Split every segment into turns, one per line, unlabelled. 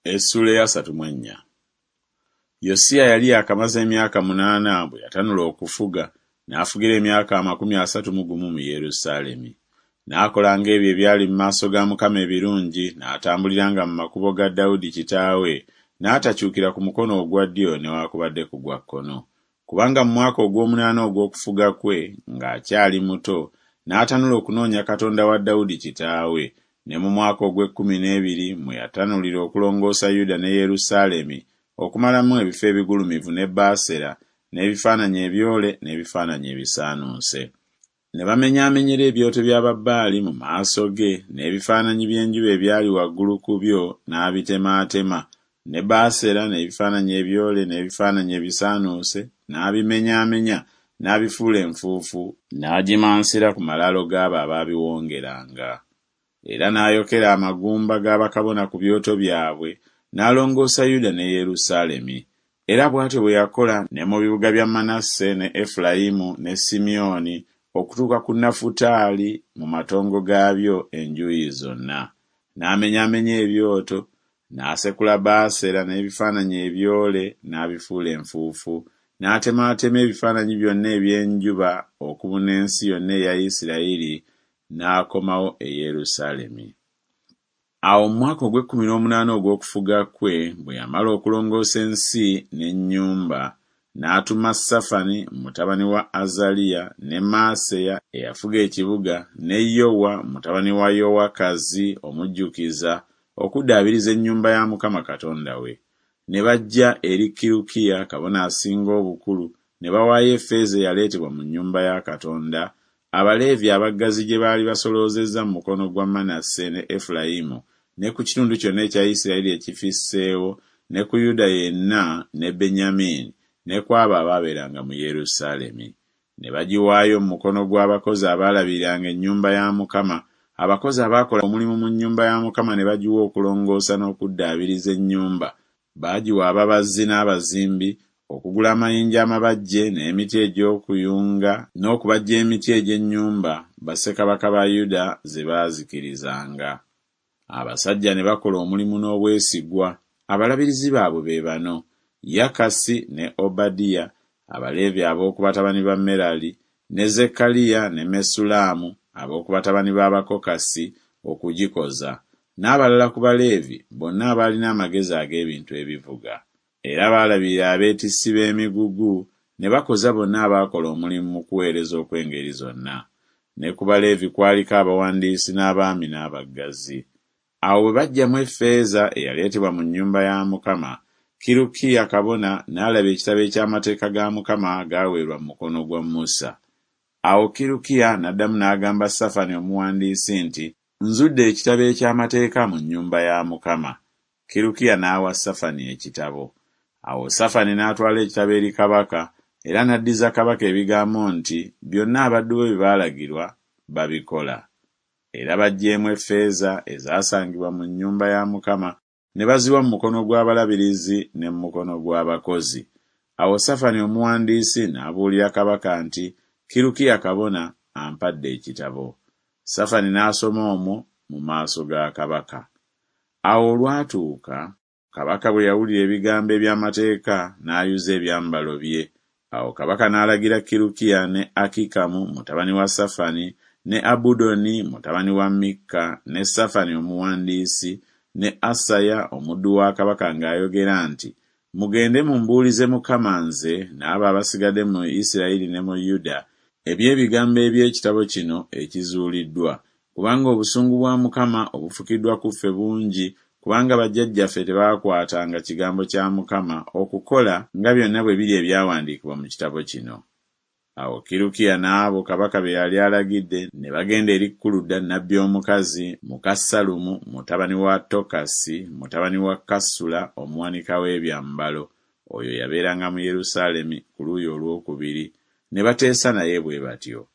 Essuula ey'asatu mu ennya. Yosiya yali yaakamaze emyaka 8 bwe yatanula okufuga, n'afugira emyaka 31 mu Yerusaalemi. N'akolanga ebyo ebyali mu maaso ga Mukama ebirungi, n'atambuliranga mu makubo ga Dawudi kitaawe, n'atakyukira ku mukono ogwa ddyo newaakubadde ku gwa kkono. Kubanga mu mwaka ogw'omunaana ogw'okufuga kwe, ng'akyali muto, n'atanula okunoonya Katonda wa Dawudi kitaawe, ne mu mwaka ogw'ekkumi n'ebiri mwe yatanulira okulongoosa Yuda ne Yerusaalemi okumalamu ebifo ebigulumivu ne Baasera n'ebifaananyi ebyole n'ebifaananyi ebisaanuuse. Ne bamenyaamenyera ebyoto bya Babaali mu maaso ge, n'ebifaananyi by'enjuba ebyali waggulu ku byo n'abitemaatema, ne Baasera n'ebifaananyi ebyole n'ebifaananyi ebisaanuuse n'abimenyaamenya n'abifuula enfuufu n'agimansira ku malaalo g'abo abaabiwongeranga. Era n'ayokera amagumba ga bakabona ku byoto byabwe, n'alongoosa Yuda ne Yerusaalemi. Era bw'atyo bwe yakola ne mu bibuga bya Manase ne Efulayimu ne Simyoni okutuuka ku Nafutaali mu matongo gaabyo enjuuyi zonna. N'amenyaamenya ebyoto, n'asekula Baasera n'ebifaananyi ebyole n'abifuula enfuufu, n'atemaatema ebifaananyi byonna eby'enjuba okubuna ensi yonna eya Isirayiri, n'akomawo e Yerusaalemi. Awo mu mwaka ogw'ekkumi n'omunaana ogw'okufuga kwe, bwe yamala okulongoosa ensi n'ennyumba, n'atuma Safani mutabani wa Azaliya ne Maaseya eyafuga ekibuga ne Yowa mutabani wa Yowakazi omujjukiza okuddaabiriza ennyumba ya Mukama Katonda we. Ne bajja eri Kirukiya kabona asinga obukulu ne bawaayo effeeza eyaleetebwa mu nnyumba ya Katonda, Abaleevi abaggazi gye baali basoloozezza mu mukono gwa Manase ne Efulayimu ne ku kitundu kyonna ekya Isirayiri ekifisseewo ne ku Yuda yenna ne Benyamini ne ku abo abaabeeranga mu Yerusaalemi. Ne bagiwaayo mu mukono gw'abakozi abaalabiriranga ennyumba ya Mukama, abakozi abaakola omulimu mu nnyumba ya Mukama ne bagiwa okulongoosa n'okuddaabiriza ennyumba, baagiwa ababazzi n'abazimbi, okugula amayinja amabajje n'emiti egy'okuyunga n'okubajja emiti egy'ennyumba bassekabaka ba Yuda ze baazikirizanga. Abasajja ne bakola omulimu n'obwesigwa. Abalabirizi baabwe be bano, Yakasi ne Obadiya, Abaleevi ab'oku batabani ba Merali, ne Zekkaliya ne Mesullamu ab'oku batabani b'Abakokasi okugikoza, n'abalala ku Baleevi bonna abaalina amagezi ag'ebintu ebivuga. Era baalabirira abeetissi b'emigugu, ne bakoza bonna abaakola omulimu mu kuweereza okw'engeri zonna. Ne ku Baleevi kwaliko abawandiisi n'abaami n'abaggazi. Awo bwe baggyamu effeeza eyaleetebwa mu nnyumba ya Mukama, Kirukiya kabona n'alaba ekitabo eky'amateeka ga Mukama agaaweerwa mu mukono gwa Musa. Awo Kirukiya n'addamu n'agamba Safani omuwandiisi nti, Nzudde ekitabo eky'amateeka mu nnyumba ya Mukama. Kirukiya n'awa Safani ekitabo. Awo Safani n'atwala ekitabo eri kabaka, era n'addiza kabaka ebigambo nti byonna abaddu bo bye baalagirwa, babikola. Era baggyeemu effeeza ezaasangibwa mu nnyumba ya Mukama ne baziwa mu mukono gw'abalabirizi ne mu mukono gw'abakozi. Awo Safani omuwandiisi n'abuulira kabaka nti, Kirukiya kabona ampadde ekitabo. Safani n'asoma omwo mu maaso ga kabaka. Awo olwatuuka, kabaka bwe yawulira ebigambo eby'amateeka, n'ayuza ebyambalo bye. Awo kabaka n'alagira Kirukiya ne Akikamu mutabani wa Safani ne Abudoni mutabani wa Mikka ne Safani omuwandiisi ne Asaya omuddu wa kabaka ng'ayogera nti, Mugende mumbuulize Mukama nze n'abo abasigadde mu Isirayiri ne mu Yuda eby'ebigambo eby'ekitabo kino ekizuuliddwa, kubanga obusungu bwa Mukama obufukiddwa ku ffe bungi, kubanga bajjajjaffe tebaakwatanga kigambo kya Mukama okukola nga byonna bwe biri ebyawandiikibwa mu kitabo kino. Awo Kirukiya n'abo kabaka be yali alagidde ne bagenda eri Kuluda nnabbi omukazi, muka Sallumu mutabani wa Tokasi mutabani wa Kasula omuwanika w'ebyambalo, oyo yabeeranga mu Yerusaalemi ku luuyi olw'okubiri, ne bateesa naye bwe batyo.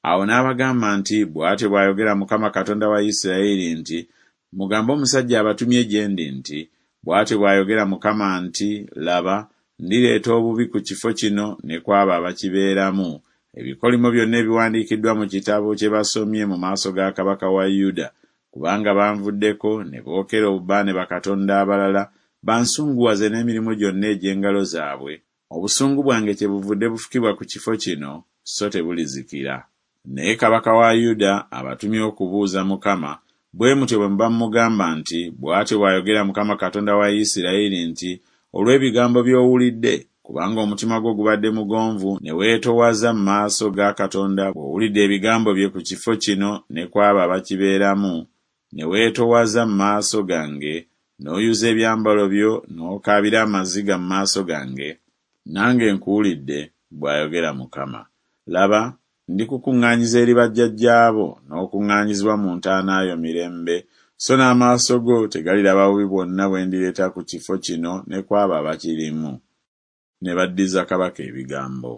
Awo n'abagamba nti, Bw'atyo bw'ayogera Mukama Katonda wa Isirayiri nti, Mugambe omusajja abatumye gye ndi nti, Bw'atyo bw'ayogera Mukama nti, Laba, ndireeta obubi ku kifo kino ne ku abo abakibeeramu, ebikolimo byonna ebiwandiikiddwa mu kitabo kye basomye mu maaso ga kabaka wa Yuda, Kubanga banvuddeko ne bookera obubaane bakatonda abalala, bansunguwaze n'emirimu gyonna egy'engalo zaabwe, obusungu bwange kyebuvudde bufukibwa ku kifo kino, so tebulizikira. Naye kabaka wa Yuda abatumye okubuuza Mukama, bwe mutyo bwe muba mumugamba nti Bw'atyo bw'ayogera Mukama Katonda wa Isiraeri nti Olw'ebigambo by'owulidde, kubanga omutima gwo gubadde mugonvu ne weetoowaza mu maaso ga Katonda bw'owulidde ebigambo bye ku kifo kino ne ku abo abakibeeramu, ne weetoowaza mu maaso gange, n'oyuza ebyambalo byo n'okaabira amaziga mu maaso gange, nange nkuwulidde, bw'ayogera Mukama. Laba, ndikukuŋŋaanyiza eri bajjajjaabo, n'okuŋŋaanyizibwa mu ntaana yo mirembe, so n'amaaso go tegaliraba bubi bwonna bwe ndireeta ku kifo kino ne ku abo abakirimu. Ne baddiza kabaka ebigambo.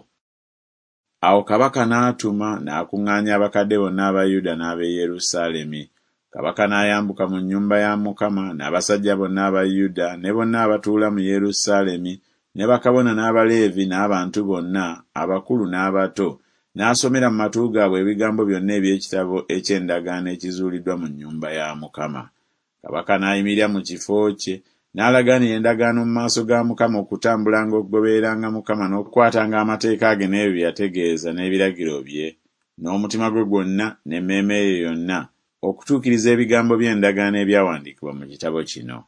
Awo kabaka n'atuma n'akuŋŋaanya abakadde bonna aba Yuda n'ab'e Yerusaalemi. Kabaka n'ayambuka mu nnyumba ya Mukama n'abasajja bonna aba Yuda ne bonna abatuula mu Yerusaalemi ne bakabona n'Abaleevi n'abantu bonna, abakulu n'abato, n'asomera mu matu gaabwe ebigambo byonna eby'ekitabo eky'endagaano ekizuuliddwa mu nnyumba ya Mukama. Kabaka n'ayimirira mu kifo kye, n'alagaanira endagaano mu maaso ga Mukama okutambulanga okugobereranga Mukama n'okukwatanga amateeka ge n'ebyo bye yategeeza n'ebiragiro bye, n'omutima gwe gwonna n'emmeeme ye yonna, okutuukiriza ebigambo by'endagaano ebyawandiikibwa mu kitabo kino.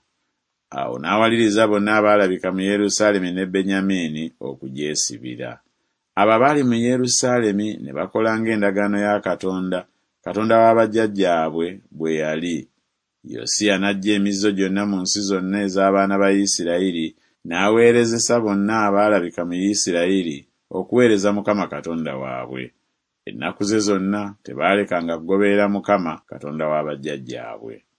Awo n'awaliriza bonna abaalabika mu Yerusaalemi ne Benyamini okugyesibira. Abo abaali mu Yerusaalemi ne bakola ng'endagaano ya Katonda, Katonda wa bajjajjaabwe, bwe yali. Yosiya n'aggya emizizo gyonna mu nsi zonna ez'abaana ba Isirayiri, n'aweerezesa bonna abaalabika mu Isirayiri okuweereza Mukama Katonda waabwe. Ennaku ze zonna tebaalekanga kugoberera Mukama, Katonda wa bajjajjaabwe.